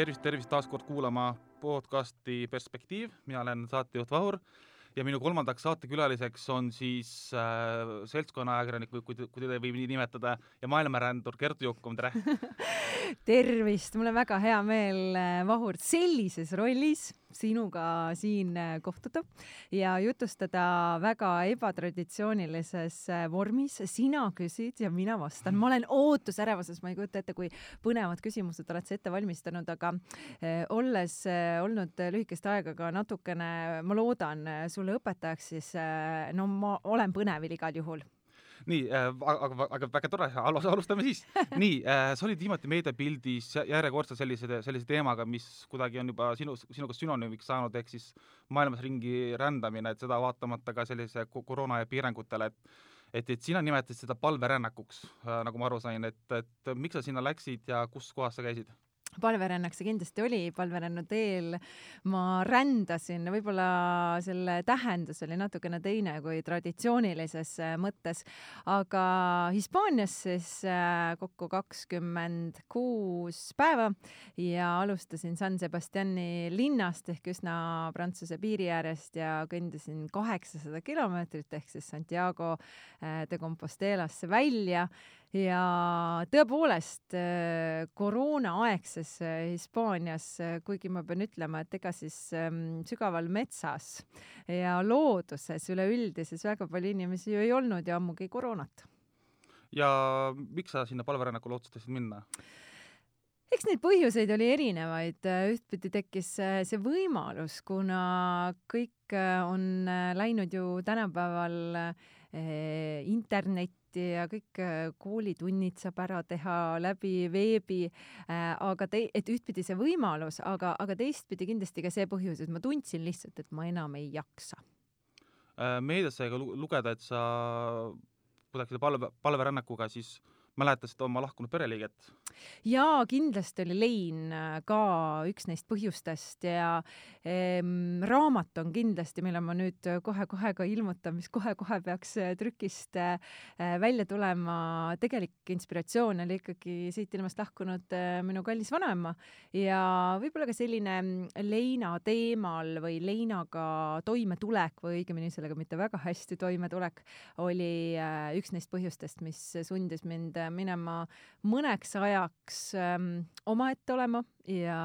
Tervist taas kord kuulama podcasti Perspektiiv. Mina olen saatejuht Vahur ja minu kolmandaks saatekülaliseks on siis seltskonna ajakirjanik, kui teda võib nii nimetada, ja maailmarändur Kertu Jukum, tere! Tervist! Mul on väga hea meel, Vahur, sellises rollis sinuga siin kohtuda ja jutustada väga ebatraditsioonilises vormis. Sina küsid ja mina vastan. Ma olen ootusärevuses, ma ei kujuta ette, kui põnevad küsimused oled sa ette valmistanud, aga olles olnud lühikest aega ka natukene, ma loodan, sulle õpetajaks, siis ma olen põnevil igal juhul. Nii, aga väga tore, alustame siis. Nii, sa olid viimati meediapildis järjekordselt sellise teemaga, mis kuidagi on juba sinuga sünonüümiks saanud, ehk siis maailmas ringi rändamine, et seda vaatamata ka sellise koroona ja piirangutele, et sina nimetasid seda palverännakuks, nagu ma aru sain, et miks sa sinna läksid ja kus kohas sa käisid? Palverännak see kindlasti oli, palverännu teel ma rändasin, võib-olla selle tähendus oli natukene teine kui traditsioonilises mõttes, aga Hispaanias siis kokku 26 päeva ja alustasin San Sebastiani linnast ehk üsna Prantsuse piiri äärest ja kõndisin 800 kilomeetrit ehk siis Santiago de Compostelasse välja. Ja tõepoolest koroonaaegses Hispaanias, kuigi ma pean ütlema, et ega siis sügaval metsas ja looduses üleüldises väga palju inimesi ju ei olnud ja ammugi koroonat. Ja miks sa sinna palverännakule otsustasid minna? Eks neid põhjuseid oli erinevaid. Ühtpidi tekkis see võimalus, kuna kõik on läinud ju tänapäeval internetti ja kõik koolitunnid saab ära teha läbi veebi, aga et ühtpidi see võimalus, aga teistpidi kindlasti ka see põhjus, et ma tundsin lihtsalt, et ma enam ei jaksa. Meedias sai ka lugeda, et sa kuidagi palverännakuga siis mäletasid oma lahkunud pereliiget. Jaa, kindlasti oli lein ka üks neist põhjustest ja raamat on kindlasti, mille ma nüüd kohe ka ilmutan, mis kohe peaks trükist välja tulema. Tegelik inspiratsioon oli ikkagi siit ilmast lahkunud minu kallis vanaema ja võib-olla ka selline leina teemal või leinaga toimetulek või õigemini sellega mitte väga hästi toimetulek oli üks neist põhjustest, mis sundis mind minema mõneks ajaks omaette olema ja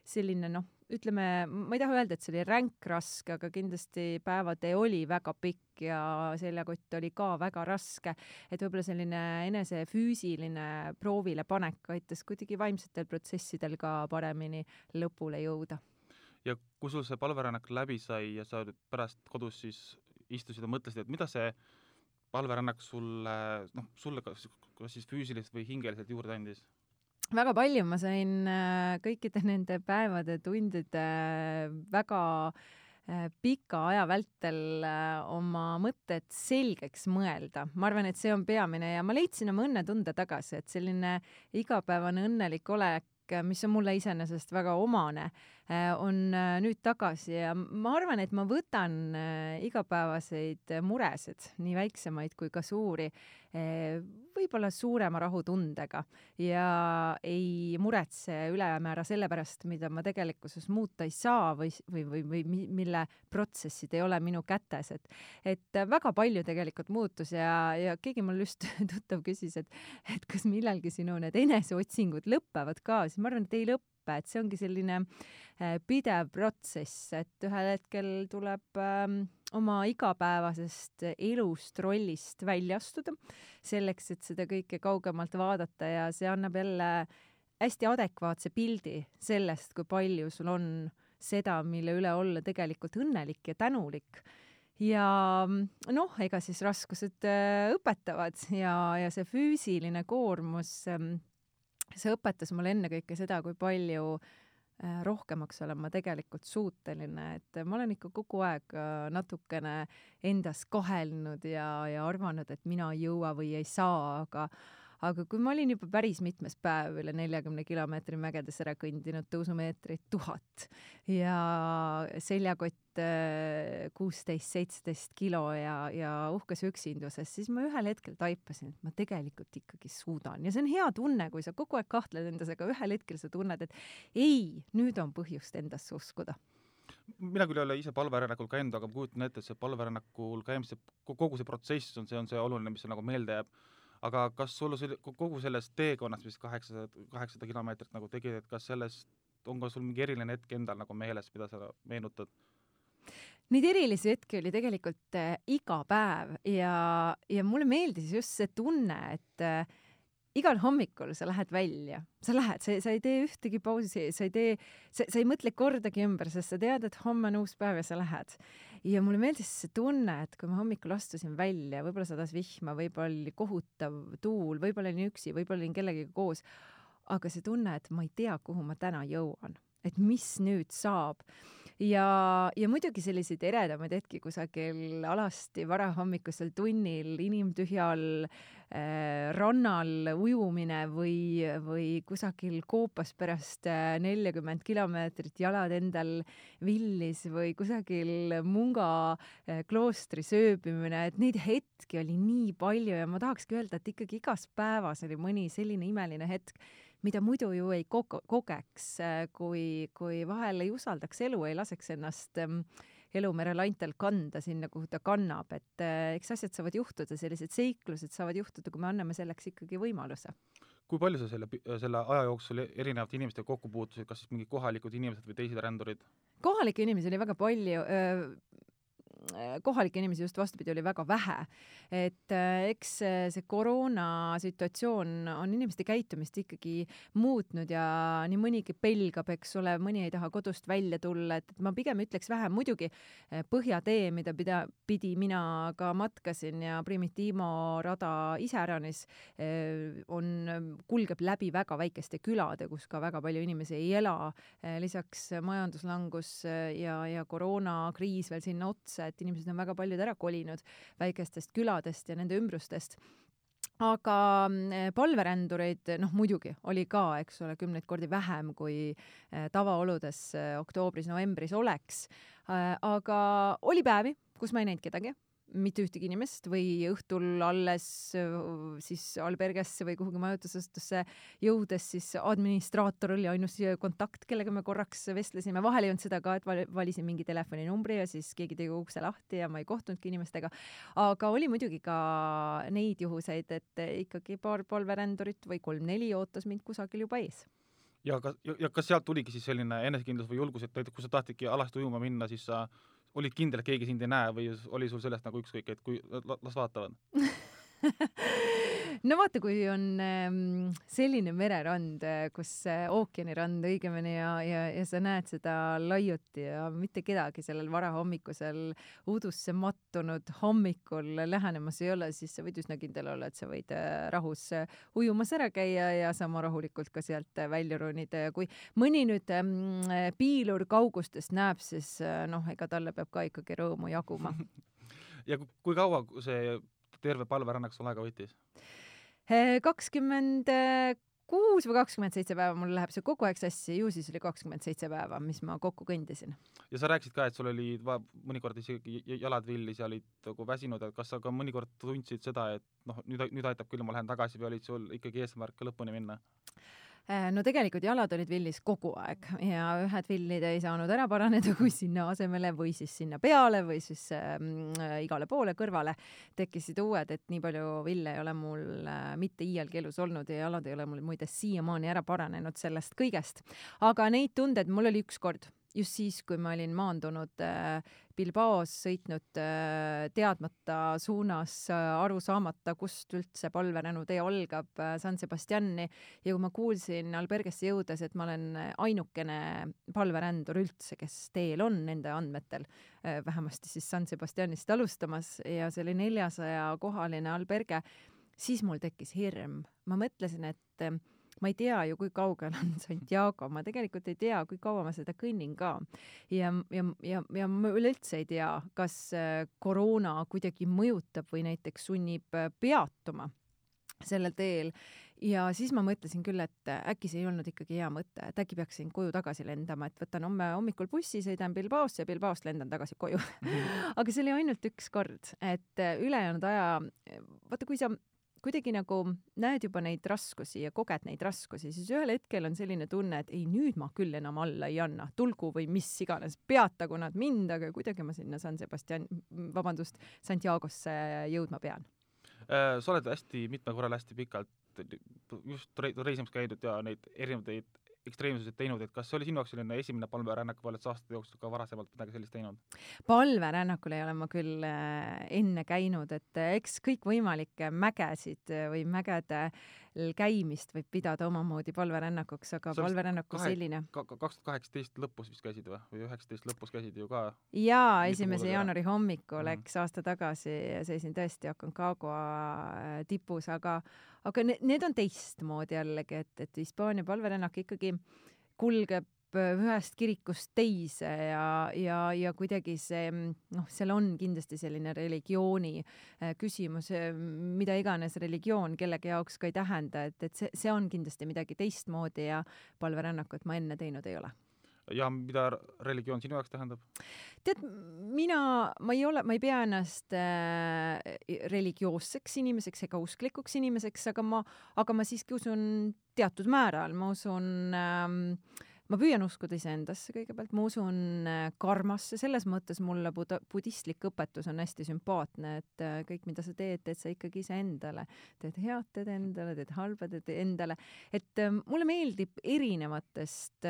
selline, ütleme, ma ei taha öelda, et see oli ränk raske, aga kindlasti päevatee oli väga pikk ja seljakott oli ka väga raske, et võib-olla selline enese füüsiline proovile panek aitas kuidagi vaimsetel protsessidel ka paremini lõpule jõuda. Ja kui sul see palverännak läbi sai ja sa pärast kodus siis istusid ja mõtlesid, et mida see palverännak sulle kas siis füüsiliselt või hingeliselt juurde andis? Väga palju. Ma sain kõikide nende päevade, tundide väga pika aja vältel oma mõtted selgeks mõelda. Ma arvan, et see on peamine ja ma leidsin oma õnnetunde tagasi, et selline igapäevane õnnelik olek, mis on mulle iseenesest väga omane, on nüüd tagasi ja ma arvan, et ma võtan igapäevaseid muresid, nii väiksemaid kui ka suuri, võib-olla suurema rahutundega ja ei muretse ülemäära selle pärast, mida ma tegelikkuses muuta ei saa või mille protsessid ei ole minu kätes. Et väga palju tegelikult muutus ja keegi mul just tuttav küsis, et kas millalgi sinu need eneseotsingud lõpevad ka, siis ma arvan, et ei lõppe, et see ongi selline pidev protsess, et ühel hetkel tuleb oma igapäevasest elust, rollist välja astuda selleks, et seda kõike kaugemalt vaadata ja see annab jälle hästi adekvaatse pildi sellest, kui palju sul on seda, mille üle olla tegelikult õnnelik ja tänulik. Ja ega siis raskused õpetavad ja see füüsiline koormus, see õpetas mulle ennekõike seda, kui palju rohkemaks olen ma tegelikult suuteline, et ma olen ikka kogu aeg natukene endas kahelnud ja arvanud, et mina ei jõua või ei saa, aga kui ma olin juba päris mitmes päev üle 40 kilomeetri mägedes ära kõndinud, tõusumeetrit 1000 ja seljakott 16-17 kilo ja uhkes üksinduses, siis ma ühel hetkel taipasin, et ma tegelikult ikkagi suudan. Ja see on hea tunne, kui sa kogu aeg kahtled endas, aga ühel hetkel sa tunned, et ei, nüüd on põhjust endasse uskuda. Mina küll ei ole ise palverännakul käinud, aga ma kujutan ette, et see palverännakul käimise, kogu see protsess on see oluline, mis nagu meelde jääb. Aga kas sul kogu sellest teekonnast, mis 800 kilomeetrit nagu tegid, et kas sellest on ka sul mingi eriline hetk endal nagu meeles, mida sa meenutad? Neid erilisi hetki oli tegelikult iga päev ja mulle meeldis just see tunne, et igal hommikul sa lähed välja, sa ei tee ühtegi pausi, sa ei mõtle kordagi ümber, sest sa tead, et homme on uus päev ja sa lähed. Ja mulle meeldis see tunne, et kui ma hommikul astusin välja, võib-olla sadas vihma, võib-olla oli kohutav tuul, võib-olla olin üksi, võib-olla olin kellegiga koos, aga see tunne, et ma ei tea, kuhu ma täna jõuan, et mis nüüd saab. Ja muidugi selliseid eredamaid hetki kusagil alasti varahommikusel tunnil, inimtühjal rannal ujumine või kusagil koopas pärast 40 kilomeetrit jalad endal villis või kusagil Munga kloostri sööbimine, et neid hetki oli nii palju ja ma tahakski öelda, et ikkagi igas päevas oli mõni selline imeline hetk, mida muidu ju ei kogeks, kui vahel ei usaldaks elu, ei laseks ennast elumere laintel kanda sinna, kuhu ta kannab, et eks asjad saavad juhtuda, sellised seiklused saavad juhtuda, kui me anname selleks ikkagi võimaluse. Kui palju sa selle aja jooksul erinevate inimestega kokku puutusid, kas siis mingi kohalikud inimesed või teised rändurid? Kohalikke inimesi oli väga palju, kohalikke inimesi just vastupidi oli väga vähe, et eks see koroona situatsioon on inimeste käitumist ikkagi muutnud ja nii mõnigi pelgab, eks ole, mõni ei taha kodust välja tulla, et ma pigem ütleks vähem, muidugi Põhjatee, mida mina ka matkasin ja Primitiimo rada iseäranis kulgeb läbi väga väikeste külade, kus ka väga palju inimesi ei ela, lisaks majanduslangus ja koroonakriis veel sinna otsa, et inimesed on väga paljud ära kolinud väikestest küladest ja nende ümbrustest. Aga palverändureid, muidugi oli ka, eks ole, 10 kordi vähem kui tavaoludes oktoobris-novembris oleks. Aga oli päevi, kus ma ei näinud kedagi, mitte ühtegi inimest või õhtul alles siis albergesse või kuhugi majutusasutusse jõudes siis administraator oli ainus kontakt, kellega me korraks vestlesime. Vahel ei olnud seda ka, et valisin mingi telefoninumbri ja siis keegi tegi ukse lahti ja ma ei kohtunudki inimestega. Aga oli muidugi ka neid juhuseid, et ikkagi paar palverändurit või 3-4 ootas mind kusagil juba ees. Ja kas sealt tuligi siis selline enesekindlus või julgus, et näiteks kui sa tahtidki alasti ujuma minna, siis sa olid kindel, et keegi sind ei näe või oli sul sellest nagu ükskõik, et kui las vaatavad? No vaata, kui on selline mererand, kus ookeanirand õigemini ja sa näed seda laiuti ja mitte kedagi sellel varahommikusel udusse mattunud hommikul lähenemas ei ole, siis sa võid üsna kindel olla, et sa võid rahus ujumas ära käia ja sama rahulikult ka sealt välja ronida. Ja kui mõni nüüd piilur kaugustest näeb, siis ega talle peab ka ikkagi rõõmu jaguma. Ja kui kaua see terve palverännak sul aega võttis? 26 või 27 päeva, mul läheb see kogu aeg sassi, ju siis oli 27 päeva, mis ma kokku kõndisin. Ja sa rääkisid ka, et sul oli mõnikord isegi jalad villis ja olid nagu väsinud, et kas sa ka mõnikord tundsid seda, et nüüd aitab küll, ma lähen tagasi või olid sul ikkagi eesmärk lõpuni minna? No tegelikult jalad olid villis kogu aeg ja ühed villid ei saanud ära paraneda, kui sinna asemele või siis sinna peale või siis igale poole kõrvale tekkisid uued, et nii palju ville ei ole mul mitte iialgi elus olnud ja jalad ei ole mul muide siiamaani ära paranenud sellest kõigest. Aga neid tunded mul oli ükskord, just siis, kui ma olin maandunud Bilbaos, sõitnud teadmata suunas, aru saamata, kust üldse palveränutee algab San Sebastiani ja kui ma kuulsin albergesse jõudes, et ma olen ainukene palverändur üldse, kes teel on nende andmetel, vähemasti siis San Sebastianist alustamas ja see oli 400-kohaline alberge, siis mul tekkis hirm. Ma mõtlesin, et ma ei tea ju, kui kaugel on Santiago, ma tegelikult ei tea, kui kaua ma seda kõnnin ka. Ja ma üleüldse ei tea, kas koroona kuidagi mõjutab või näiteks sunnib peatuma. sellel teel. Ja siis ma mõtlesin küll, et äkki see ei olnud ikkagi hea mõte, et äkki peaksin koju tagasi lendama, et võtan homme hommikul bussi, sõidan Bilbaosse ja Bilbaost lendan tagasi koju. Aga see oli ainult üks kord, et ülejäänud aja, vaata, kui sa kuidagi nagu näed juba neid raskusi ja koged neid raskusi, siis ühel hetkel on selline tunne, et ei, nüüd ma küll enam alla ei anna, tulgu või mis iganes, peatagu nad mind, aga kuidagi ma sinna Santiagosse jõudma pean. Sa oled hästi mitme korral hästi pikalt just reisimas käidud ja neid erinevaid ekstreemsuseid teinud, et kas see oli sinu jaoks selline esimene palverännak või oled sa aastate jooksul ka varasemalt midagi sellist teinud? Palverännakul ei ole ma küll enne käinud, et eks kõikvõimalikke mägesid või mägede käimist võib pidada omamoodi palverännakuks, aga palverännaku selline. 2018 lõpus vist käisid või 19 lõpus käisid ju ka? Jaa, 1. jaanuari hommikul, eks aasta tagasi seisin tõesti Aconcagua tipus, aga need on teistmoodi jällegi, et Hispaania palverännak ikkagi kulgeb ühest kirikust teise ja kuidagi see, seal on kindlasti selline religiooni küsimus, mida iganes religioon kellegi jaoks ka ei tähenda, et see on kindlasti midagi teistmoodi ja palverännakut ma enne teinud ei ole. Ja mida religioon sinu jaoks tähendab? Tead, ma ei pea ennast religioosseks inimeseks ega usklikuks inimeseks, aga ma siiski usun teatud määral. Ma usun ma püüan uskuda iseendasse kõigepealt, ma usun karmasse, selles mõttes mulle budistlik õpetus on hästi sümpaatne, et kõik, mida sa teed sa ikkagi iseendale. Teed head, teed endale, teed halba, teed endale. Et mulle meeldib erinevatest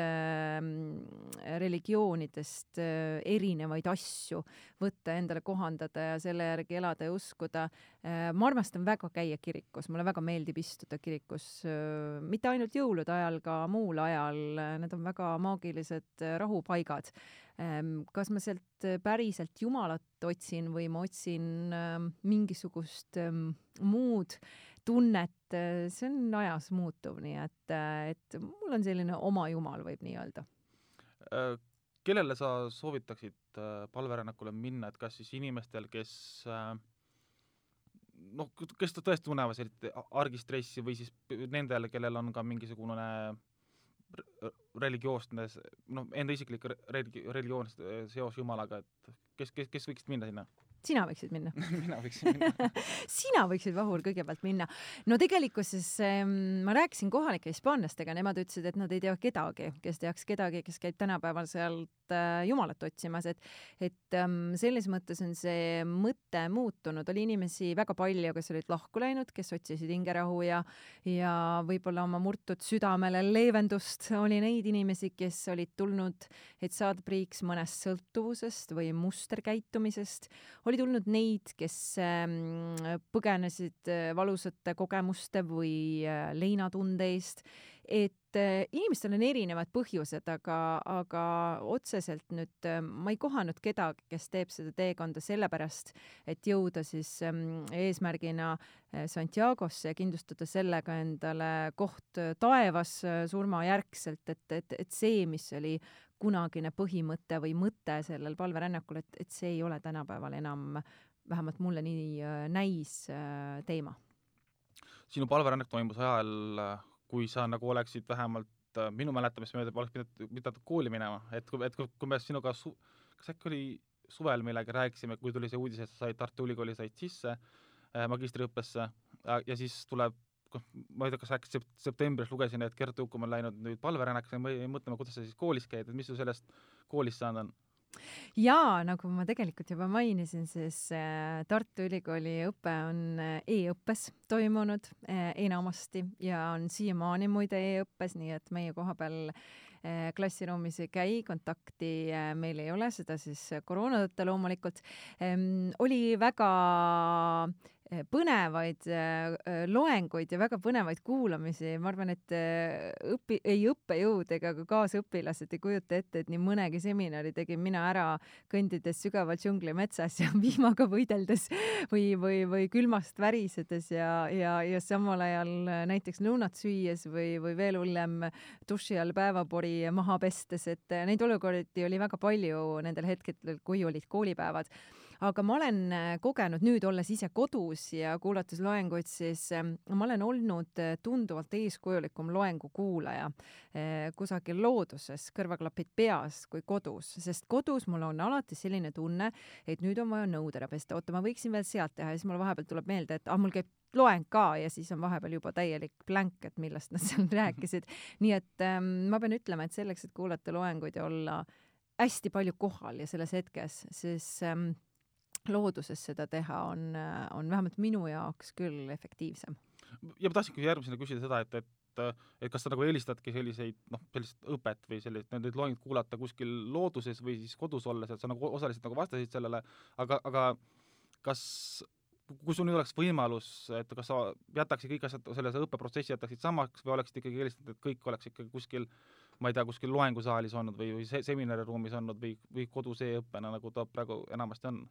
religioonidest erinevaid asju võtta endale kohandada ja selle järgi elada ja uskuda. Ma armastan väga käia kirikus, mulle väga meeldib istuda kirikus, mitte ainult jõulude ajal, ka muul ajal, need on väga maagilised rahupaigad. Kas ma sealt päriselt Jumalat otsin või ma otsin mingisugust muud tunnet, see on ajas muutuv, nii et mul on selline oma Jumal, võib nii öelda. Kellele sa soovitaksid palverännakule minna, et kas siis inimestel, kes tõesti tunnevad sellist argistressi või siis nendele, kellel on ka mingisugune religioosne, enda isiklik religioosne seos Jumalaga, et kes võiksid minna sinna? Sina võiksid minna. Mina võiksin minna. Sina võiksid, Vahur, kõigepealt minna. No tegelikkuses ma rääkisin kohalike hispaanlastega, nemad ütlesid, et nad ei tea kedagi, kes teaks kedagi, kes käib tänapäeval sealt Jumalat otsimas, et selles mõttes on see mõte muutunud. Oli inimesi väga palju, kes olid lahku läinud, kes otsisid hingerahu ja võib-olla oma murtud südamele leevendust. Oli neid inimesi, kes olid tulnud, et saada priiks mõnest sõltuvusest või musterkäitumisest. Oli tulnud neid, kes põgenesid valusate kogemuste või leinatunde eest, et inimestel on erinevad põhjused, aga otseselt nüüd ma ei kohanud kedagi, kes teeb seda teekonda sellepärast, et jõuda siis eesmärgina Santiagosse ja kindlustada sellega endale koht taevas surmajärgselt, et see, mis oli kunagine põhimõte või mõte sellel palverännakul, et see ei ole tänapäeval enam, vähemalt mulle nii näis teema. Sinu palverännak toimus ajal, kui sa nagu oleksid vähemalt minu mäletamist mööda oleks pidanud kooli minema, et kui me sinuga, kas äkki oli suvel millega rääkisime, kui tuli see uudis, et sa said Tartu Ülikooli said sisse magistriõppesse ja siis tuleb, ma ei tea, kas äkki septembris lugesin, et Gert Ukum on läinud nüüd palverännakas ja mõtleme, kuidas sa siis koolis käid, et mis su sellest koolist saanud on? Jaa, nagu ma tegelikult juba mainisin, siis Tartu Ülikooli õpe on e-õppes toimunud enamasti ja on siiamaani muide e-õppes, nii et meie koha peal klassiruumis ei käi, kontakti meil ei ole, seda siis koroona tõttu loomulikult. Oli väga põnevaid loenguid ja väga põnevaid kuulamisi. Ma arvan, et õppejõud ega ka kaasõpilased ei kujuta ette, et nii mõnegi seminari tegin mina ära kõndides sügaval džungli metsas ja vihmaga võideldes või külmast värisedes ja samal ajal näiteks lõunat süües või veel hullem duši all päevapori maha pestes, et neid olukordi oli väga palju nendel hetkedel, kui olid koolipäevad. Aga ma olen kogenud nüüd, olles ise kodus kodus ja kuulates loenguid, siis ma olen olnud tunduvalt eeskujulikum loengu kuulaja kusagil looduses, kõrvaklapid peas kui kodus, sest kodus mul on alati selline tunne, et nüüd on vaja nõud ära pesta, oota, ma võiksin veel sealt teha ja siis mul vahepeal tuleb meelde, et mul käib loeng ka ja siis on vahepeal juba täielik blank, et millest nad seal rääkisid. Nii et ma pean ütlema, et selleks, et kuulata loenguid ja olla hästi palju kohal ja selles hetkes, siis looduses seda teha on vähemalt minu jaoks küll efektiivsem. Ja ma tahtsingi järgmisena küsida seda, et kas sa nagu eelistadki sellist õpet või neid loengid kuulata kuskil looduses või siis kodus olles, et sa nagu osaliselt nagu vastasid sellele, aga kui sul nüüd oleks võimalus, et kas sa jätaksid kõik asjad selles õppeprotsessi jätaksid samaks või oleksid ikkagi eelistanud, et kõik oleks ikkagi kuskil, ma ei tea, kuskil loengusaalis olnud või seminariruumis olnud või kodus e-õppena, nagu ta praegu enamasti on?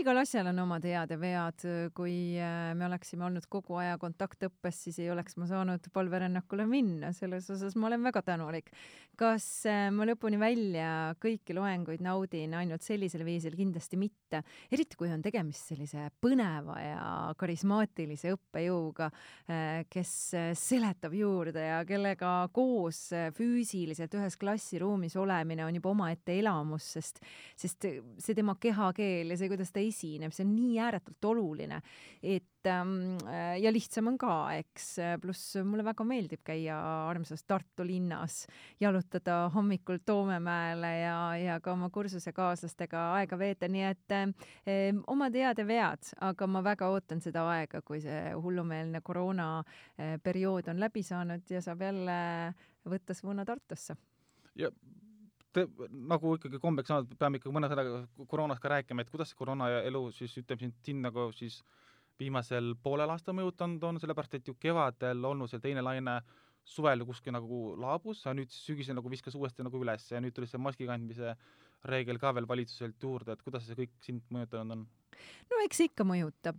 Igal asjal on omad head ja vead. Kui me oleksime olnud kogu aja kontaktõppes, siis ei oleks ma saanud palverännakule minna. Selles osas ma olen väga tänulik. Kas ma lõpuni välja kõiki loenguid naudin ainult sellisel viisil? Kindlasti mitte. Eriti kui on tegemist sellise põneva ja karismaatilise õppejõuga, kes seletab juurde ja kellega koos füüsiliselt ühes klassiruumis olemine on juba omaette elamus, sest see tema kehakeel ja see, kuidas ta esineb, see on nii ääretult oluline, et ja lihtsam on ka, eks, pluss mulle väga meeldib käia armsas Tartu linnas, jalutada hommikul Toomemäele ja ka oma kursusekaaslastega aega veeta, nii et omad head ja vead, aga ma väga ootan seda aega, kui see hullumeelne koroona periood on läbi saanud ja saab jälle võtta suuna Tartusse. Ja nagu ikkagi kombeks saanud, peame ikka mõne sõnaga koroonast ka rääkima, et kuidas see koroona ja elu siis ütleb siin nagu siis viimasel poolel aasta mõjutanud on, sellepärast et ju kevadel olnud see teine laine suvel kuskil nagu laabus, ja nüüd sügisel nagu viskas uuesti nagu üles ja nüüd tuli see maski kandmise reegel ka veel valitsuselt juurde, et kuidas see kõik sind mõjutanud on? No eks ikka mõjutab.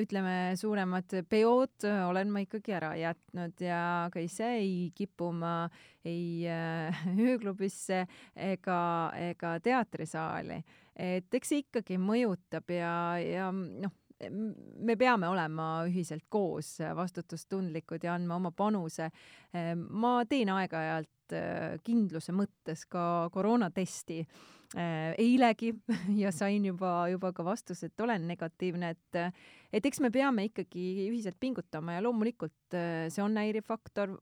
Ütleme, suuremad peod olen ma ikkagi ära jätnud ja ka ise ei kipu ma ei ööklubisse ega teatrisaali. Et eks see ikkagi mõjutab ja me peame olema ühiselt koos vastutustundlikud ja andma oma panuse. Ma teen aeg-ajalt kindluse mõttes ka koroonatesti eilegi ja sain juba ka vastus, et olen negatiivne, et eks me peame ikkagi ühiselt pingutama ja loomulikult see on häirifaktor,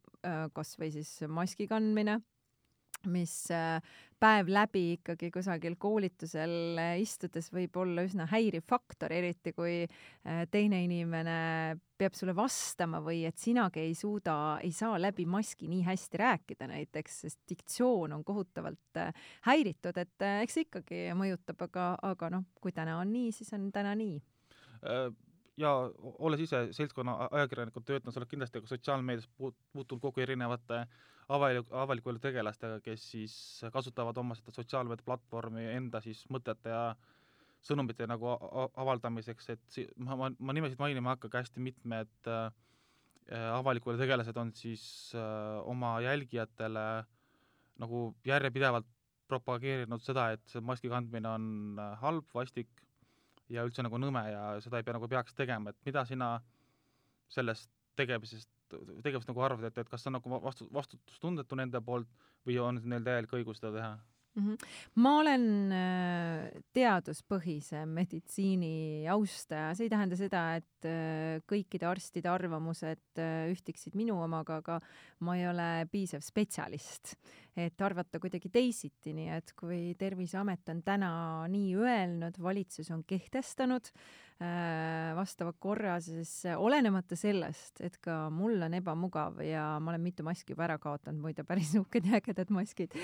kas või siis maski kandmine, mis päev läbi ikkagi kusagil koolitusel istudes võib olla üsna häiriv faktor, eriti kui teine inimene peab sulle vastama või et sinagi ei saa läbi maski nii hästi rääkida näiteks, sest diktsioon on kohutavalt häiritud, et eks ikkagi mõjutab, aga kui täna on nii, siis on täna nii. Ja olles ise seltskonna ajakirjanikud töötanud, sa oled kindlasti ka sotsiaalmeedias puutunud kogu erinevate avaliku elu tegelastega, kes siis kasutavad oma seda sotsiaalmeedia platvormi enda siis mõtete ja sõnumite nagu avaldamiseks, et ma nimesid mainima hakkagi hästi mitmed avaliku elu tegelased on siis oma jälgijatele nagu järjepidevalt propageerinud seda, et see maski kandmine on halb, vastik ja üldse nagu nõme ja seda ei peaks tegema, et mida sina sellest tegevusest nagu arvad, et kas see on nagu vastutustundetu nende poolt või on neil täielik õigus seda teha? Ma olen teaduspõhise meditsiini austaja. See ei tähenda seda, et kõikide arstide arvamused ühtiksid minu omaga, aga ma ei ole piisav spetsialist, et arvata kuidagi teisiti, nii et kui Terviseamet on täna nii öelnud, valitsus on kehtestanud vastava korra, siis olenemata sellest, et ka mul on ebamugav ja ma olen mitu maski juba ära kaotanud, muide päris uhked ja ägedad maskid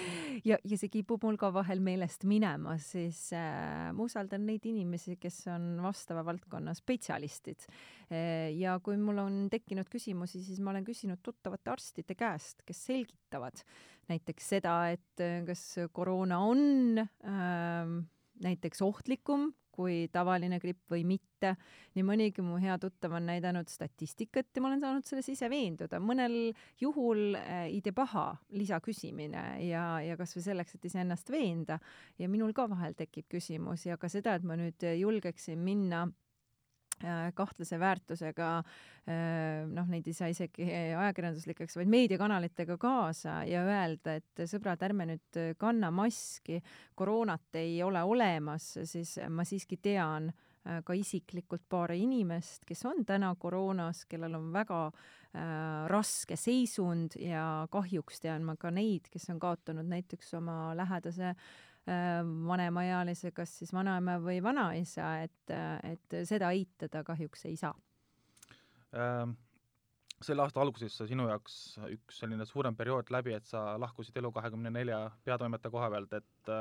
ja see kipub mul ka vahel meelest minema, siis ma usaldan neid inimesi, kes on vastava valdkonna spetsialistid. Ja kui mul on tekkinud küsimusi, siis ma olen küsinud tuttavate arstide käest, kes selgitavad näiteks seda, et kas koroona on näiteks ohtlikum kui tavaline gripp või mitte. Nii mõnigi mu hea tuttav on näidanud statistikat ja ma olen saanud selles ise veenduda. Mõnel juhul ei tee paha lisaküsimine ja kas või selleks, et ise ennast veenda. Ja minul ka vahel tekib küsimus ja ka seda, et ma nüüd julgeksin minna kahtlase väärtusega, neid ei saa isegi ajakirjanduslikeks, vaid meediakanalitega kaasa ja öelda, et sõbrad, ärme nüüd kanna maski, koroonat ei ole olemas, siis ma siiski tean ka isiklikult paari inimest, kes on täna koroonas, kellel on väga raske seisund ja kahjuks tean ma ka neid, kes on kaotanud näiteks oma lähedase vanemaealise, kas siis vanaema või vanaisa, et seda eitada kahjuks ei saa. Selle aasta alguses sinu jaoks üks selline suurem periood läbi, et sa lahkusid Elu24 peatoimetaja koha pealt, et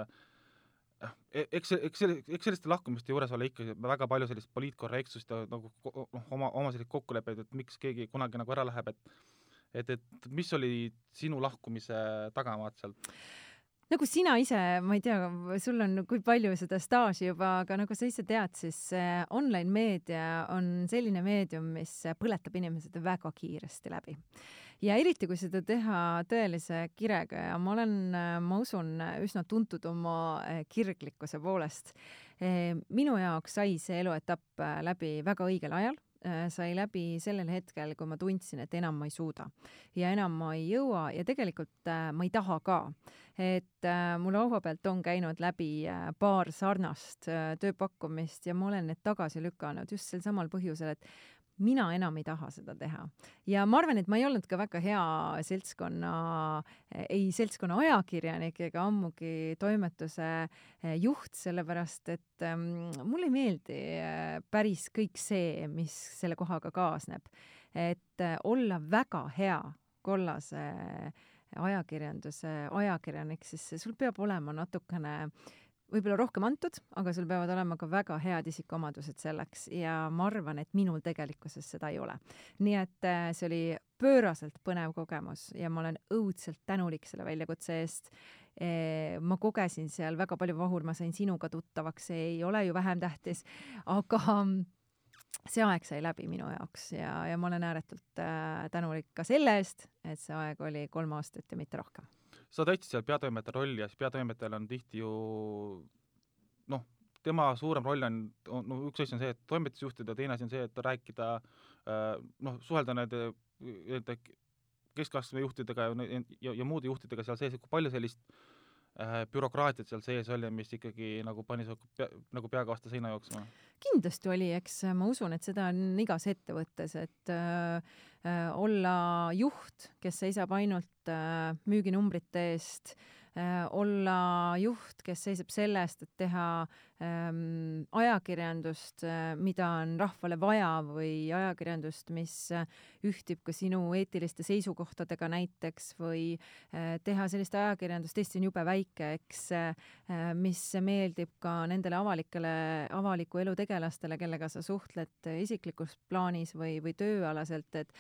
eks selliste lahkumiste juures ole ikkagi väga palju sellist poliitkorrektsust ja nagu oma selliseid kokkuleppeid, et miks keegi kunagi nagu ära läheb, et mis oli sinu lahkumise tagamaad sealt? Nagu sina ise, ma ei tea, sul on kui palju seda staaži juba, aga nagu sa ise tead, siis online meedia on selline meedium, mis põletab inimesed väga kiiresti läbi. Ja eriti, kui seda teha tõelise kirega ja ma usun, üsna tuntud oma kirglikkuse poolest. Minu jaoks sai see eluetapp läbi väga õigel ajal, sai läbi sellel hetkel, kui ma tundsin, et enam ma ei suuda ja enam ma ei jõua ja tegelikult ma ei taha ka. Et mul laua pealt on käinud läbi paar sarnast tööpakkumist ja ma olen need tagasi lükanud just sel samal põhjusel, et mina enam ei taha seda teha. Ja ma arvan, et ma ei olnud ka väga hea seltskonna ajakirjanik ega ammugi toimetuse juht, sellepärast et mulle ei meeldi päris kõik see, mis selle kohaga kaasneb. Et olla väga hea kollase ajakirjanduse ajakirjanik, siis sul peab olema natukene võib-olla rohkem antud, aga sul peavad olema ka väga head isikuomadused selleks ja ma arvan, et minul tegelikkuses seda ei ole. Nii et see oli pööraselt põnev kogemus ja ma olen õudselt tänulik selle väljakutse eest. Ma kogesin seal väga palju vahur, ma sain sinuga tuttavaks, see ei ole ju vähem tähtis, aga see aeg sai läbi minu jaoks ja ma olen ääretult tänulik ka selle eest, et see aeg oli 3 aastat ja mitte rohkem. Sa täitsid seal peatoimetaja rolli ja siis peatoimetajal on tihti ju tema suurem roll on üks asi on see, et toimetusjuhtida, teine asi on see, et rääkida, suhelda nende keskastme juhtidega ja muude juhtidega seal sees, kui palju sellist bürokraatiat seal sees oli, mis ikkagi nagu pani nagu peaga vastu seina jooksma? Kindlasti oli, eks ma usun, et seda on igas ettevõttes, et olla juht, kes seisab ainult müüginumbrite eest, olla juht, kes seisab selle eest, et teha ajakirjandust, mida on rahvale vaja või ajakirjandust, mis ühtib ka sinu eetiliste seisukohtadega näiteks või teha sellist ajakirjandust, Eesti on jube väike, eks, mis meeldib ka nendele avaliku elu tegelastele, kellega sa suhtled isiklikus plaanis või tööalaselt, et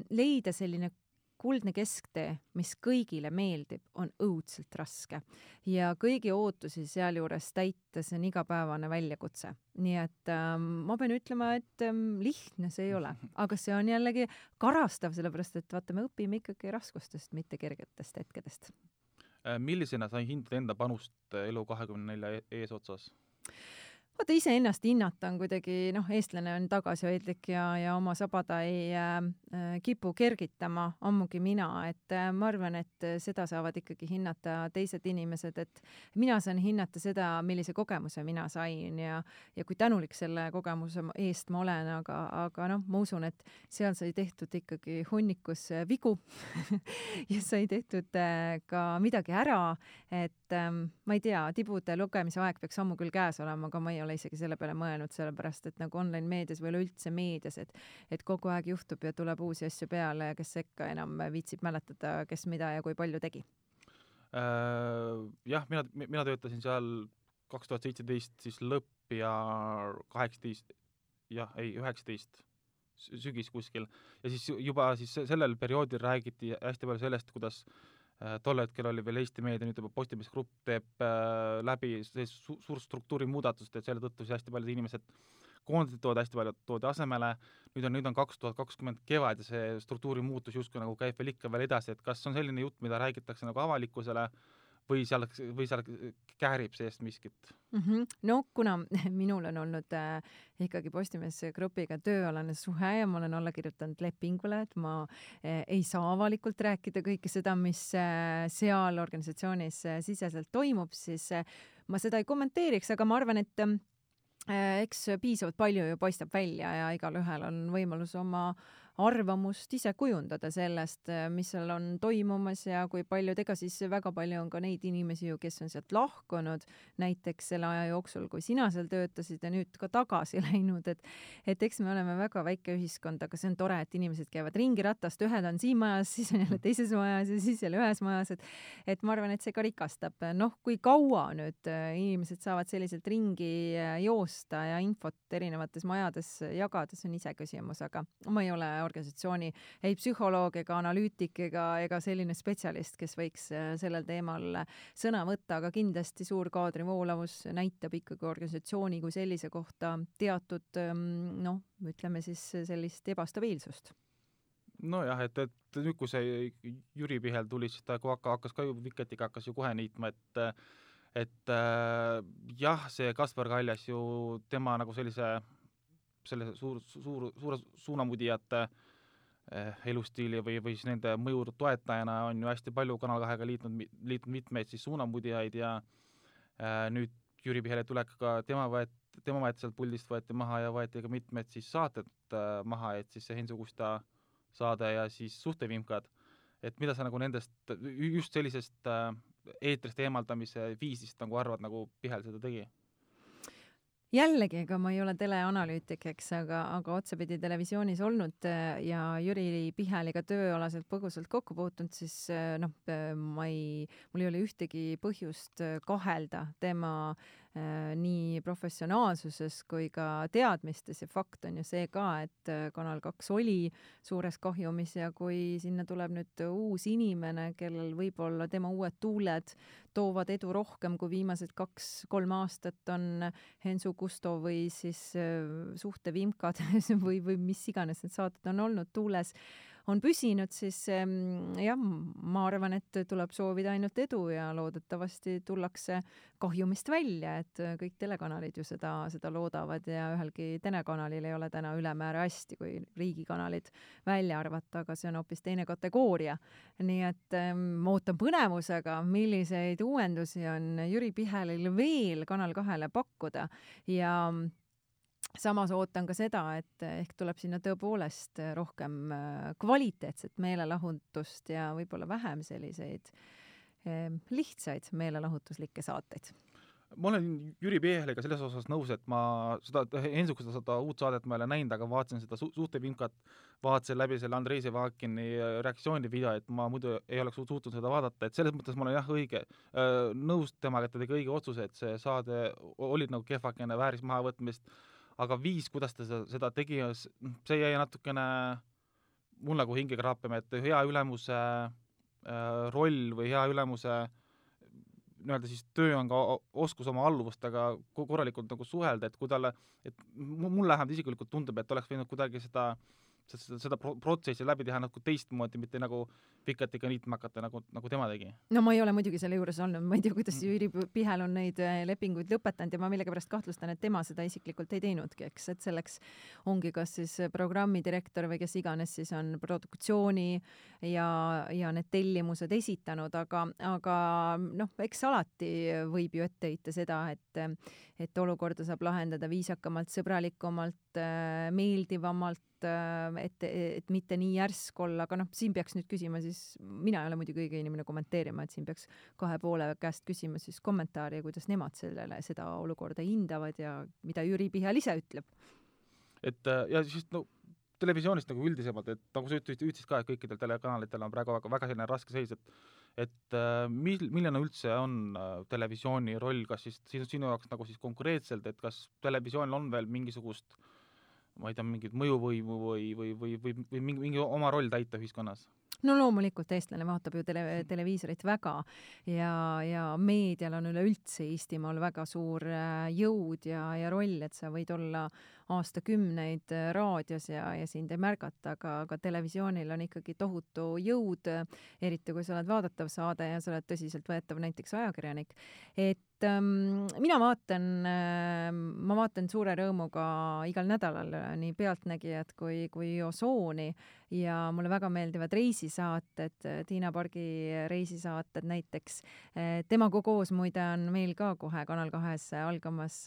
leida selline kuldne kesktee, mis kõigile meeldib, on õudselt raske. Ja kõigi ootusi sealjuures täita, see on igapäevane väljakutse. Nii et ma pean ütlema, et lihtne see ei ole. Aga see on jällegi karastav, sellepärast et vaata, me õpime ikkagi raskustest, mitte kergetest hetkedest. Millisena sa hindad enda panust Elu24 eesotsas? Vaata, ise ennast hinnata on kuidagi, eestlane on tagasihoidlik ja oma sabada ei kipu kergitama, ammugi mina, et ma arvan, et seda saavad ikkagi hinnata teised inimesed, et mina saan hinnata seda, millise kogemuse mina sain ja kui tänulik selle kogemuse eest ma olen, aga ma usun, et seal sai tehtud ikkagi hunnikus vigu ja sai tehtud ka midagi ära, et ma ei tea, tibude lugemise aeg peaks ammu küll käes olema, aga ma ei ole isegi selle peale mõelnud, sellepärast et nagu online meedias või üleüldse meedias, et kogu aeg juhtub ja tuleb uusi asju peale ja kes sekka enam viitsib mäletada, kes mida ja kui palju tegi. Jah, mina töötasin seal 2017 siis lõpp ja 19 sügis kuskil ja siis juba siis sellel perioodil räägiti hästi palju sellest, kuidas tol hetkel oli veel Eesti meedia, nüüd juba Postimees Grupp teeb läbi suur struktuuri muudatust, et selle tõttu siis hästi paljud inimesed koondid hästi palju toodi asemele, nüüd on 2020 kevad ja see struktuuri muutus justkui nagu käib veel ikka veel edasi, et kas on selline jutt, mida räägitakse nagu avalikkusele või seal käärib seest miskit? No kuna minul on olnud ikkagi Postimees grupiga tööalane suhe ja ma olen alla kirjutanud lepingule, et ma ei saa avalikult rääkida kõike seda, mis seal organisatsioonis siseselt toimub, siis ma seda ei kommenteeriks, aga ma arvan, et eks piisavalt palju ju paistab välja ja igalühel on võimalus oma arvamust ise kujundada sellest, mis seal on toimumas ja kui paljud, ega siis väga palju on ka neid inimesi ju, kes on sealt lahkunud näiteks selle aja jooksul, kui sina seal töötasid ja nüüd ka tagasi läinud, et eks me oleme väga väike ühiskond, aga see on tore, et inimesed käivad ringi ratast, ühed on siin majas, siis on jälle teises majas ja siis jälle ühes majas, et ma arvan, et see ka rikastab. Noh, kui kaua nüüd inimesed saavad selliselt ringi joosta ja infot erinevates majades jagada, see on ise küsimus, aga ma ei ole organisatsiooni ei psühholoog ega analüütik ega selline spetsialist, kes võiks sellel teemal sõna võtta, aga kindlasti suur kaadrivoolavus näitab ikkagi organisatsiooni kui sellise kohta teatud, noh, ütleme siis sellist ebastabiilsust. Nojah, et nüüd, kui see Jüri Pihel tuli, siis ta hakkas ka ju Viketiga hakkas ju kohe niitma, et jah, see Kaspar Kaljas ju tema nagu sellise suure suunamudijate elustiili või siis nende mõju toetajana on ju hästi palju Kanal 2-ga liitnud mitmeid siis suunamudijaid ja nüüd Jüri Pihele tulekaga tema võeti sealt puldist võeti maha ja võeti ka mitmed siis saated maha, et siis see Hensu Kusta saade ja siis Suhtevimkad, et mida sa nagu nendest just sellisest eetrist eemaldamise viisist nagu arvad, nagu Pihel seda tegi? Jällegi, ega ma ei ole teleanalüütik, eks, aga otsapidi televisioonis olnud ja Jüri Piheliga tööalaselt põgusalt kokku puutunud, siis noh, mul ei ole ühtegi põhjust kahelda tema nii professionaalsuses kui ka teadmistes ja fakt on ju see ka, et Kanal 2 oli suures kahjumis ja kui sinna tuleb nüüd uus inimene, kellel võib-olla tema uued tuuled toovad edu rohkem kui viimased 2-3 aastat on Hensu Kusto või siis Suhtevimkad või mis iganes need saated on olnud tuules, on püsinud, siis jah, ma arvan, et tuleb soovida ainult edu ja loodetavasti tullakse kahjumist välja, et kõik telekanalid ju seda loodavad ja ühelgi telekanalil ei ole täna ülemäära hästi, kui riigikanalid välja arvata, aga see on hoopis teine kategooria. Nii et ootan põnevusega, milliseid uuendusi on Jüri Pihelil veel Kanal 2-le pakkuda ja samas ootan ka seda, et ehk tuleb sinna tõepoolest rohkem kvaliteetset meelelahutust ja võib-olla vähem selliseid lihtsaid meelelahutuslikke saateid. Ma olen Jüri Piheliga selles osas nõus, et ma seda uut saadet ma ei ole näinud, aga vaatasin seda Suhtevimkat, vaatasin läbi selle Andrei Sevakini reaktsioonivideo, et ma muidu ei oleks suutnud seda vaadata, et selles mõttes ma olen jah nõus temaga, et ta tegi õige otsuse, et see saade oli nagu kehvakene, vääris mahavõtmist, aga viis, kuidas ta seda tegi, see jäi natukene mul nagu hinge kraapima, et hea ülemuse roll või hea ülemuse nii-öelda siis töö on ka oskus oma alluvustega korralikult nagu suhelda, et kui talle, et mul läheb isiklikult tundub, et oleks võinud kuidagi seda protsessi läbi teha nagu teistmoodi, mitte nagu Viketiga niitma hakata, nagu tema tegi. No ma ei ole muidugi selle juures olnud, ma ei tea, kuidas Jüri Pihel on neid lepinguid lõpetanud ja ma millegipärast kahtlustan, et tema seda isiklikult ei teinudki, eks, et selleks ongi kas siis programmidirektor või kes iganes siis on produktsiooni ja need tellimused esitanud, aga noh, eks alati võib ju ette heita seda, et olukorda saab lahendada viisakamalt, sõbralikumalt, meeldivamalt, et mitte nii järsk olla, aga noh, siin peaks nüüd küsima siis, mina ei ole muidugi õige inimene kommenteerima, et siin peaks kahe poole käest küsima siis kommentaari, kuidas nemad seda olukorda hindavad ja mida Jüri Pihel ise ütleb. Et ja siis no televisioonist nagu üldisemalt, et nagu sa ütlesid ka, et kõikidel telekanalitel on praegu väga selline raske seis, et milline üldse on televisiooni roll, kas siis sinu jaoks nagu siis konkreetselt, et kas televisioonil on veel mingisugust ma ei tea, mingit mõjuvõimu või mingi oma roll täita ühiskonnas? no loomulikult eestlane vaatab ju televiisorit väga ja meedial on üleüldse Eestimaal väga suur jõud ja roll, et sa võid olla aastakümneid raadios ja sind ei märgata, aga televisioonil on ikkagi tohutu jõud, eriti kui sa oled vaadatav saade ja sa oled tõsiseltvõetav näiteks ajakirjanik. Et mina ma vaatan suure rõõmuga igal nädalal nii Pealtnägijat kui Osooni ja mulle väga meeldivad reisisaated, Tiina Pargi reisisaated näiteks. Temaga koos muide on meil ka kohe Kanal 2 algamas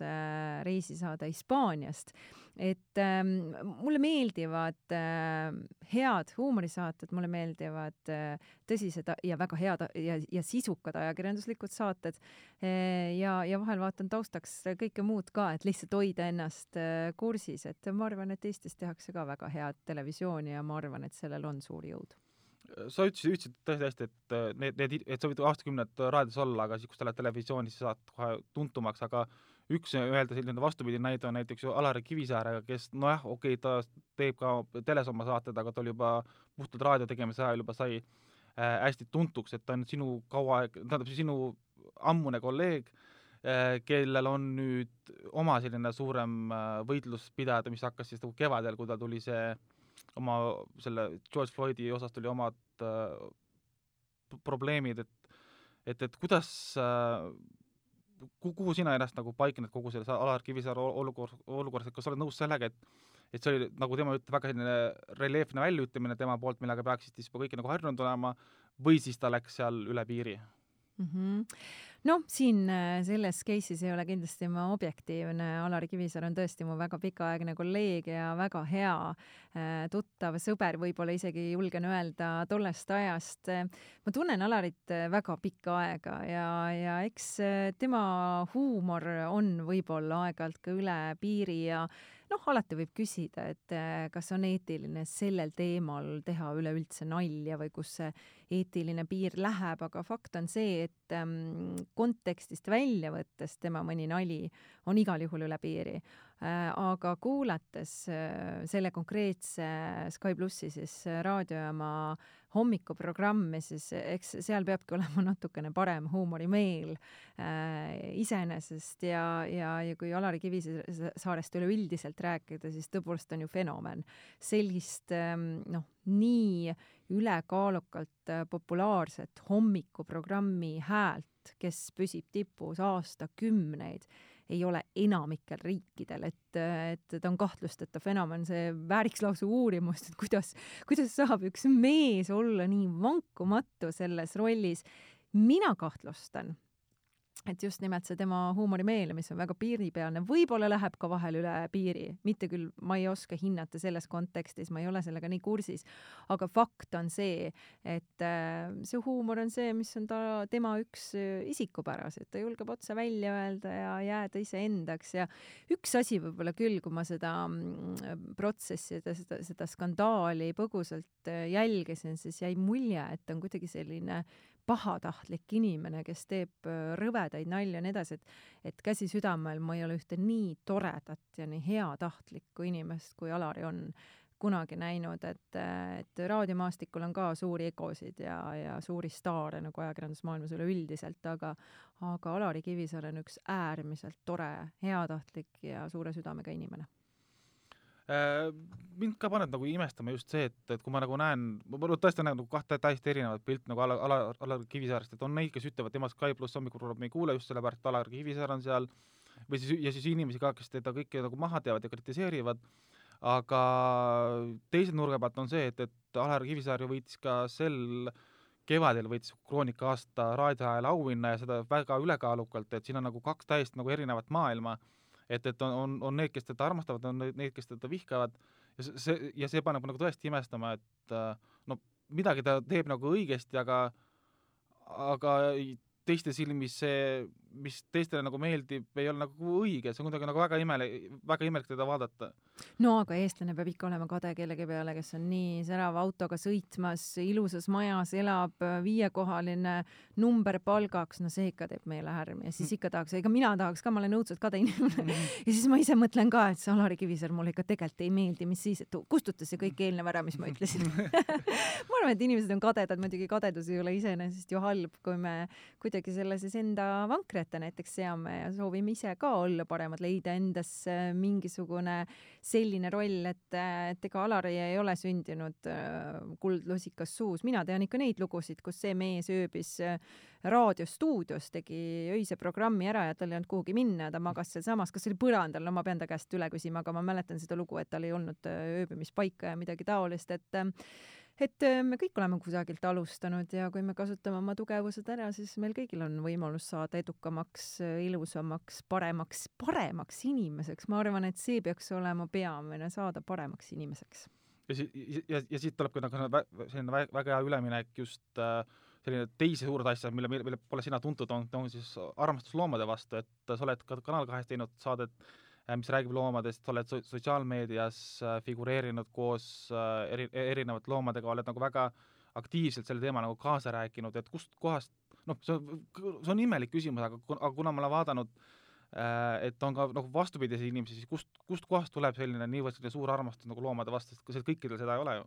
reisisaade Hispaaniast. Et mulle meeldivad head huumorisaated, mulle meeldivad tõsised ja väga head ja sisukad ajakirjanduslikud saated ja vahel vaatan taustaks kõike muud ka, et lihtsalt hoida ennast kursis, et ma arvan, et Eestis tehakse ka väga head televisiooni ja ma arvan, et sellel on suur jõud. Sa ütlesid tõesti hästi, et sa võid aastakümned raadios olla, aga siis, kui sa oled televisioonis, sa saad kohe tuntumaks, aga üks öelda selline vastupidi näide on näiteks Alari Kivisäärega, kes nojah, okei, ta teeb ka teles oma saated, aga ta oli juba puhtalt raadio tegemise ajal juba sai hästi tuntuks, et ta on sinu ammune kolleeg, kellel on nüüd oma selline suurem võitlus pidada, mis hakkas siis kevadel, kui ta tuli selle George Floydi osas tuli omad probleemid, et kuidas kuhu sina ennast nagu paikned kogu selles Alar Kivisaare olukorras, et kas sa oled nõus sellega, et see oli, nagu tema ütleb, väga selline reljeefne väljaütlemine tema poolt, millega peaksid siis juba kõik nagu harjunud olema, või siis ta läks seal üle piiri? Noh, siin selles case'is ei ole kindlasti ma objektiivne. Alari Kivisaar on tõesti mu väga pikaaegne kolleeg ja väga hea tuttav sõber, võib-olla isegi julgen öelda tollest ajast. Ma tunnen Alarit väga pikka aega ja eks tema huumor on võib-olla aeg-ajalt ka üle piiri ja alati võib küsida, et kas on eetiline sellel teemal teha üleüldse nalja või kus see eetiline piir läheb, aga fakt on see, et kontekstist välja võttes tema mõni nali on igal juhul üle piiri. Aga kuulates selle konkreetse Sky Plussi siis raadiojaama hommikuprogrammi, siis eks seal peabki olema natukene parem huumorimeel iseenesest ja kui Alari Kivisaarest üleüldiselt rääkida, siis tõepoolest on ju fenomen. Sellist nii ülekaalukalt populaarset hommikuprogrammi häält, kes püsib tipus aastakümneid, ei ole enamikel riikidel, et ta on kahtlusteta fenomen, see vääriks lausa uurimust, et kuidas saab üks mees olla nii vankumatu selles rollis. Mina kahtlustan, et just nimelt see tema huumorimeel, mis on väga piiripealne, võib-olla läheb ka vahel üle piiri. Mitte küll, ma ei oska hinnata selles kontekstis, ma ei ole sellega nii kursis, aga fakt on see, et see huumor on see, mis on tema üks isikupäras, et ta julgeb otse välja öelda ja jääda iseendaks ja üks asi võib-olla küll, kui ma seda protsessi, seda skandaali põgusalt jälgisin, siis jäi mulje, et ta on kuidagi selline pahatahtlik inimene, kes teeb rõvedaid nalja ja nii edasi, et käsi südamel ma ei ole ühte nii toredat ja nii heatahtlikku inimest, kui Alari on kunagi näinud, et raadiomaastikul on ka suuri egosid ja suuri staare nagu ajakirjandusmaailmas üleüldiselt, aga Alari Kivisaar on üks äärmiselt tore, heatahtlik ja suure südamega inimene. Mind ka paneb nagu imestama just see, et kui ma nagu näen, ma tõesti näen nagu kahte täiesti erinevat pilt nagu Alar Kivisaarest, et on neid, kes ütlevad, tema Sky Plus hommikuprogramm ei kuule just sellepärast, et Alar Kivisaar on seal, või siis inimesi ka, kes teda kõike nagu maha teevad ja kritiseerivad, aga teise nurga pealt on see, et Alar Kivisaar ju võitis ka kevadel võitis Kroonika aasta raadioajal auhinna ja seda väga ülekaalukalt, et siin on nagu kaks täiesti nagu erinevat maailma, et on need, kes teda armastavad, on need, kes teda vihkavad ja see paneb nagu tõesti imestama, et midagi ta teeb nagu õigesti, aga teiste silmis see mis teistele nagu meeldib, ei ole nagu õige, see on kuidagi nagu väga imelik teda vaadata. No aga eestlane peab ikka olema kade kellegi peale, kes on nii särava autoga sõitmas, ilusas majas elab, 5-kohaline number palgaks, no see ikka teeb meele härmi ja siis ikka tahaks, ega mina tahaks ka, ma olen õudselt kade inimene ja siis ma ise mõtlen ka, et see Alari Kivisaar mulle ikka tegelikult ei meeldi, mis siis, et kustuta see kõik eelnev ära, mis ma ütlesin ma arvan, et inimesed on kadedad, muidugi kadedus ei ole iseenesest ju halb, kui me kuidagi selle siis enda vankri ette näiteks seame ja soovime ise ka olla paremad, leida endas mingisugune selline roll, et ega Alari ei ole sündinud kuldlusikas suus. Mina tean ikka neid lugusid, kus see mees ööbis raadiostuudios, tegi öise programmi ära ja tal ei olnud kuhugi minna, ta magas seal samas, kas oli põrandal, no ma pean ta käest üle küsima, aga ma mäletan seda lugu, et tal ei olnud ööbimispaika ja midagi taolist, et me kõik oleme kusagilt alustanud ja kui me kasutame oma tugevused ära, siis meil kõigil on võimalus saada edukamaks, ilusamaks, paremaks inimeseks. Ma arvan, et see peaks olema peamine, saada paremaks inimeseks. Ja siit tuleb ka selline väga hea üleminek just selline teisi suured asjad, mille pole sina tuntud, on siis armastus loomade vastu, et sa oled ka Kanal 2 teinud saadet, mis räägib loomadest, sa oled sotsiaalmeedias figureerinud koos erinevate loomadega, oled nagu väga aktiivselt selle teema nagu kaasa rääkinud, et kust kohast, see on imelik küsimus, aga kuna ma olen vaadanud, et on ka nagu vastupidisi inimesi, siis kust kohast tuleb selline niivõrd suur armastus nagu loomade vastu, sest kõikidel seda ei ole ju?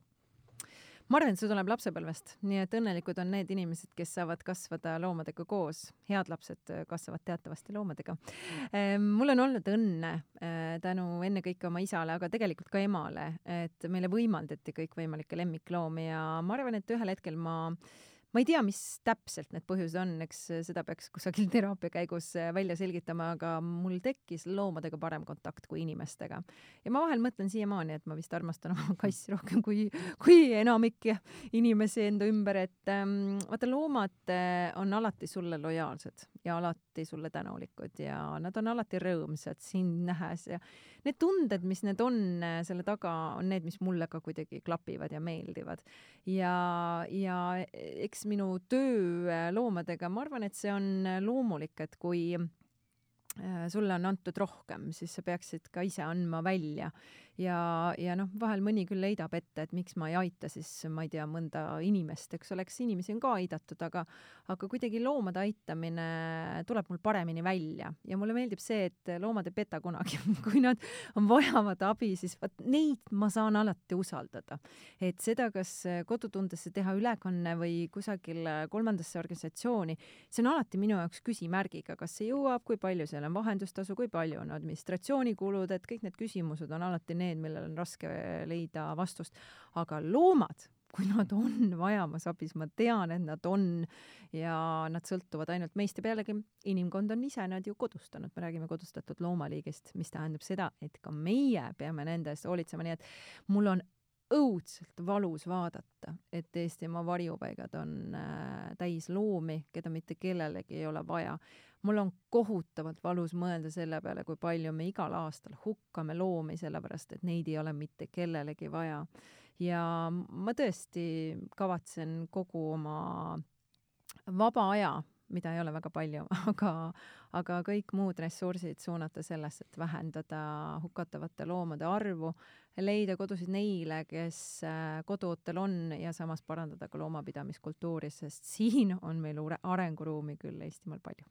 Ma arvan, et see tuleb lapsepõlvest, nii et õnnelikud on need inimesed, kes saavad kasvada loomadega koos. Head lapsed kasvavad teatavasti loomadega. Mul on olnud õnne tänu ennekõike oma isale, aga tegelikult ka emale, et meile võimaldati kõikvõimalikke lemmikloomi ja ma arvan, et ühel hetkel ma ei tea, mis täpselt need põhjused on, eks seda peaks kusagil teraapia käigus välja selgitama, aga mul tekkis loomadega parem kontakt kui inimestega. Ja ma vahel mõtlen siiamaani, et ma vist armastan oma kassi rohkem kui enamik inimesi enda ümber, et vaata, loomad on alati sulle lojaalsed ja alati sulle tänulikud ja nad on alati rõõmsad sind nähes ja need tunded, mis need on selle taga, on need, mis mulle ka kuidagi klapivad ja meeldivad. Ja eks minu töö loomadega, ma arvan, et see on loomulik, et kui sulle on antud rohkem, siis sa peaksid ka ise andma välja. Ja vahel mõni küll leidab ette, et miks ma ei aita siis, ma ei tea, mõnda inimest, eks oleks, inimesi on ka aidatud, aga kuidagi loomade aitamine tuleb mul paremini välja. Ja mulle meeldib see, et loomad ei peta kunagi. Kui nad vajavad abi, siis neid ma saan alati usaldada. Et seda, kas kodutundesse teha ülekanne või kusagil kolmandasse organisatsiooni, see on alati minu jaoks küsimärgiga, kas see jõuab, kui palju seal on vahendustasu, kui palju on administratsioonikulud, et kõik need küsimused on alati need, millel on raske leida vastust. Aga loomad, kui nad on vajamas abis, ma tean, et nad on ja nad sõltuvad ainult meist ja pealegi inimkond on ise nad ju kodustanud. Me räägime kodustatud loomaliigist, mis tähendab seda, et ka meie peame nende eest hoolitsema, nii et mul on õudselt valus vaadata, et Eestimaa varjupaigad on täis loomi, keda mitte kellelegi ei ole vaja. Mul on kohutavalt valus mõelda selle peale, kui palju me igal aastal hukkame loomi, sellepärast, et neid ei ole mitte kellelegi vaja. Ja ma tõesti kavatsen kogu oma vaba aja, mida ei ole väga palju, aga kõik muud ressursid suunata sellesse, et vähendada hukatavate loomade arvu, leida kodusid neile, kes koduotel on ja samas parandada ka loomapidamiskultuuri, sest siin on meil arenguruumi küll Eestimaal palju.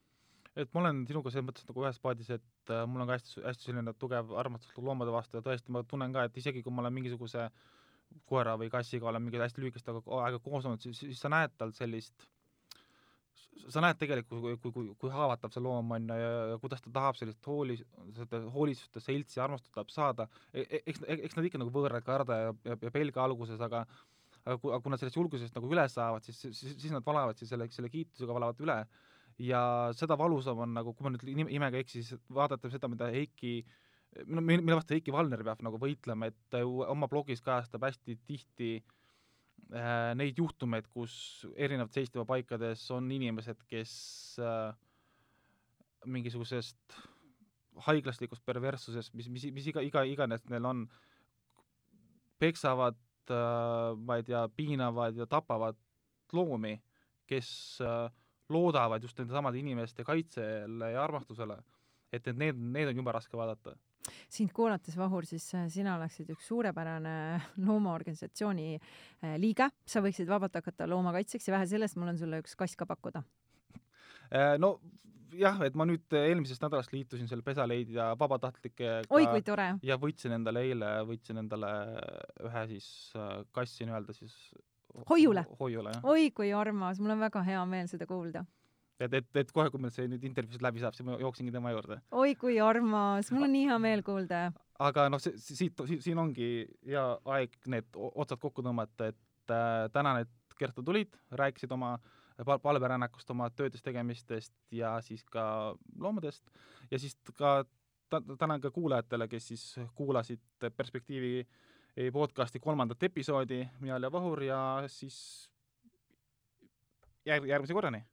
Et ma olen sinuga selles mõttes nagu ühes paadis, et mul on ka hästi selline tugev armastus loomade vastu ja tõesti ma tunnen ka, et isegi kui ma olen mingisuguse koera või kassiga olen mingi hästi lühikest aega koos olnud, siis sa näed tal sellist, sa näed tegelikult, kui haavatav see loom on ja kuidas ta tahab sellist hoolisust ja seltsi armastust tahab saada. Eks nad ikka nagu võõrad karda ja pelga alguses, aga kui nad sellest julgusest nagu üle saavad, siis nad valavad selle kiitusega valavad üle. Ja seda valusam on nagu, kui ma nüüd imega eksis, vaadata seda, mida mille vastu Heiki Valner peab nagu võitlema, et oma blogis kajastab hästi tihti neid juhtumeid, kus erinevad Eestimaa paikades on inimesed, kes mingisugusest haiglaslikust perverssusest, mis iganes neil on, peksavad, ma ei tea, piinavad ja tapavad loomi, kes loodavad just nende samade inimeste kaitsele ja armastusele, et need on jube raske vaadata. Sind kuulates, Vahur, siis sina oleksid üks suurepärane loomaorganisatsiooni liige. Sa võiksid vabalt hakata loomakaitseks ja vähe sellest, mul on sulle üks kass ka pakkuda. No jah, et ma nüüd eelmisest nädalast liitusin selle pesaleidja vabatahtlikega. Oi, kui tore! Ja võtsin endale ühe siis kassi nii-öelda siis Hoiule, jah. Oi, kui armas! Mul on väga hea meel seda kuulda. Et kohe, kui meil see nüüd intervjuusid läbi saab, siis ma jooksingi tema juurde. Oi, kui armas! Mul on nii hea meel kuulda. Aga siin ongi hea aeg need otsad kokku tõmmata, et tänan, et Kertu tulid, rääkisid oma palverännakust, oma töödest tegemistest ja siis ka loomadest ja siis ka tänan ka kuulajatele, kes siis kuulasid Perspektiivi podcasti 3. episoodi, mina olen Vahur ja siis järgmise korrani.